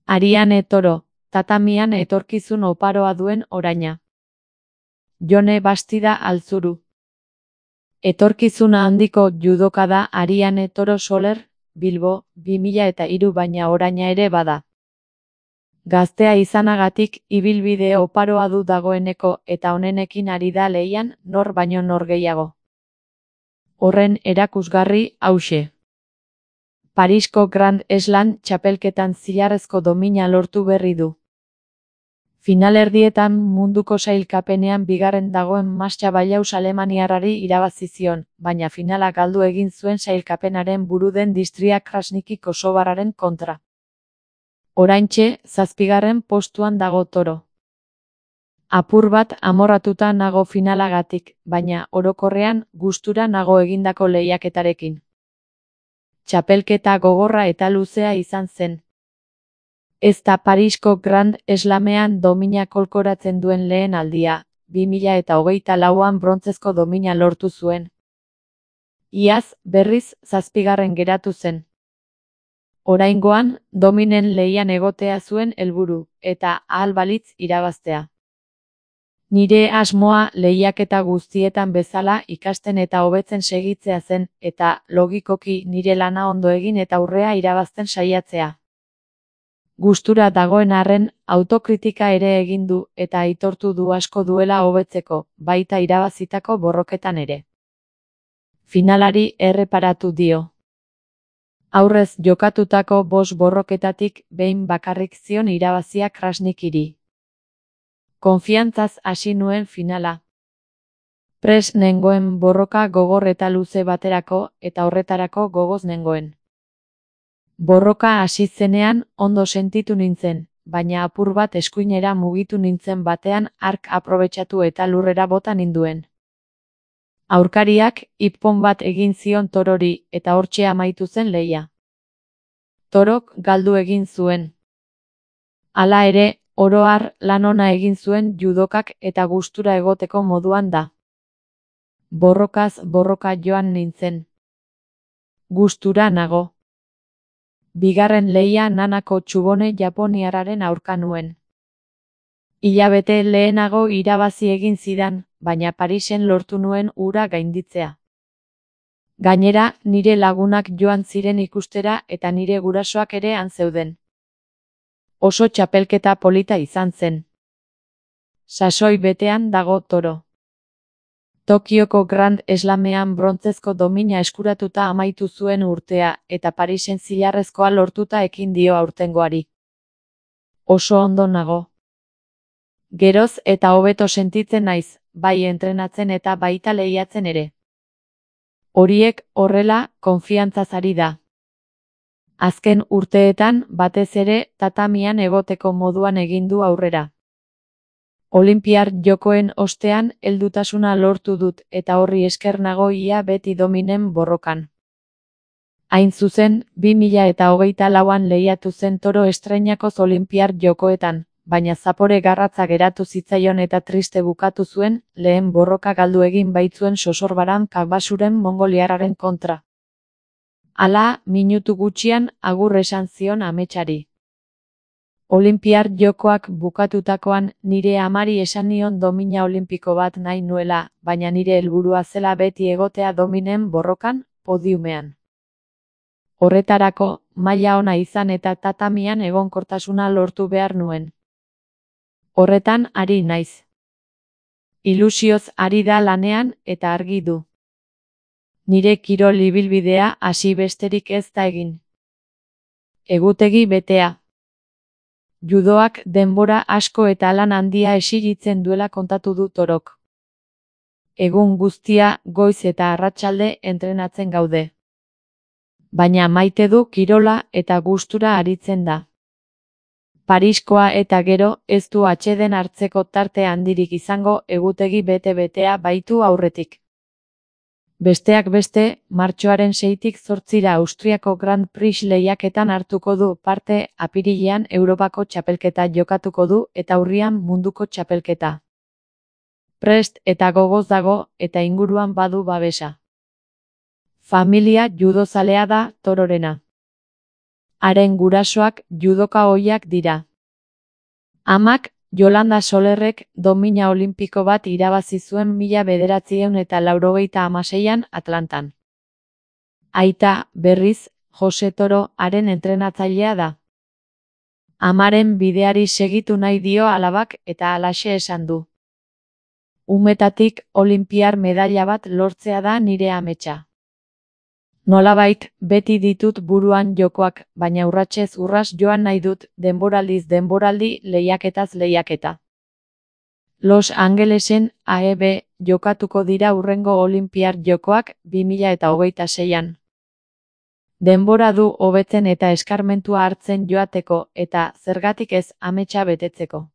Ariane Toro, tatamian etorkizun oparoa duen oraina. Jone Bastida Altzuru. Etorkizuna handiko judoka da Ariane Toro Soler, Bilbo, 2003 baina oraina ere bada. Gaztea izanagatik ibilbide oparoa du dagoeneko eta honenekin ari da lehian nor baino nor gehiago. Horren erakusgarri hauxe. Parisko Grand Slam txapelketan zilarrezko domina lortu berri du. Finalerdietan munduko sailkapenean bigarren dagoen Mascha Ballaus alemaniarrari irabazi zion, baina finala galdu egin zuen sailkapenaren buru den Distria Krasniki kosovarraren kontra. Oraintxe, 7. postuan dago Toro. Apur bat amorratuta nago finalagatik, baina orokorrean gustura nago egindako lehiaketarekin. Txapelketa gogorra eta luzea izan zen. Ez da Parisko Grand Slamean domina kolkoratzen duen lehen aldia, 2024an brontzezko domina lortu zuen. Iaz, berriz, 7. geratu zen. Oraingoan, dominen lehian egotea zuen helburu, eta ahal balitz irabaztea. Nire asmoa lehiaketa guztietan bezala ikasten eta hobetzen segitzea zen, eta, logikoki, nire lana ondo egin eta aurrea irabazten saiatzea. Gustura dagoen arren, autokritika ere egin du eta aitortu du asko duela hobetzeko, baita irabazitako borroketan ere. Finalari erreparatu dio. Aurrez jokatutako 5 borroketatik behin bakarrik zion irabazia Krasnikiri. Konfiantzaz hasi nuen finala. Prest nengoen borroka gogor eta luze baterako eta horretarako gogoz nengoen. Borroka hasi zenean ondo sentitu nintzen, baina apur bat eskuinera mugitu nintzen batean hark aprobetxatu eta lurrera bota ninduen. Aurkariak ippon bat egin zion Torori eta hortxe amaitu zen lehia. Torok galdu egin zuen. Hala ere, oro har lan ona egin zuen judokak eta gustura egoteko moduan da. Borrokaz borroka joan nintzen. Gustura nago. Bigarren lehia Nanako Txubone japoniarraren aurka nuen. Hilabete lehenago irabazi egin zidan, baina Parisen lortu nuen hura gainditzea. Gainera, nire lagunak joan ziren ikustera eta nire gurasoak ere han zeuden. Oso txapelketa polita izan zen. Sasoi betean dago Toro. Tokioko Grand Slamean brontzezko domina eskuratuta amaitu zuen urtea eta Parisen zilarrezkoa lortuta ekin dio aurtengoari. Oso ondo nago. Geroz eta hobeto sentitzen naiz, bai entrenatzen eta baita lehiatzen ere. Horiek horrela konfiantzaz ari da. Azken urteetan batez ere tatamian egoteko moduan egin du aurrera. Olinpiar jokoen ostean heldutasuna lortu dut eta horri esker nago ia beti dominen borrokan. Hain zuzen, 2024an lehiatu zen Toro estreinakoz Olinpiar jokoetan, baina zapore garratza geratu zitzaion eta triste bukatu zuen, lehen borroka galdu egin baitzuen Sosorbaran Kabasuren mongoliarraren kontra. Hala, minutu gutxian agur esan zion ametsari. Olinpiar jokoak bukatutakoan nire amari esan nion domina olimpiko bat nahi nuela, baina nire helburua zela beti egotea dominen borrokan, podiumean. Horretarako, maila ona izan eta tatamian egonkortasuna lortu behar nuen. Horretan ari naiz. Ilusioz ari da lanean eta argi du. Nire kirol ibilbidea hasi besterik ez da egin. Egutegi betea. Judoak denbora asko eta lan handia exigitzen duela kontatu du Torok. Egun guztia goiz eta arratsalde entrenatzen gaude. Baina maite du kirola eta gustura aritzen da. Pariskoa eta gero ez du atseden hartzeko tarte handirik izango egutegi bete-betea baitu aurretik. Besteak beste, martxoaren 6tik 8ra Austriako Grand Prix lehiaketan hartuko du parte, apirilean Europako txapelketa jokatuko du eta urrian munduko txapelketa. Prest eta gogoz dago eta inguruan badu babesa. Familia judozalea da Tororena. haren gurasoak judoka ohiak dira. Amak, Yolanda Solerrek domina olimpiko bat irabazi zuen 1986an Atlantan. Aita, berriz, Jose Toro, haren entrenatzailea da. Amaren bideari segitu nahi dio alabak eta halaxe esan du. Umetatik olinpiar medaila bat lortzea da nire ametsa. Nolabait, beti ditut buruan jokoak, baina urratsez urras joan nahi dut, denboraldiz denboraldi, lehiaketaz lehiaketa. Los Angelesen AEB jokatuko dira hurrengo olinpiar jokoak 2026an. Denbora du hobetzen eta eskarmentua hartzen joateko eta, zergatik ez, ametsa betetzeko.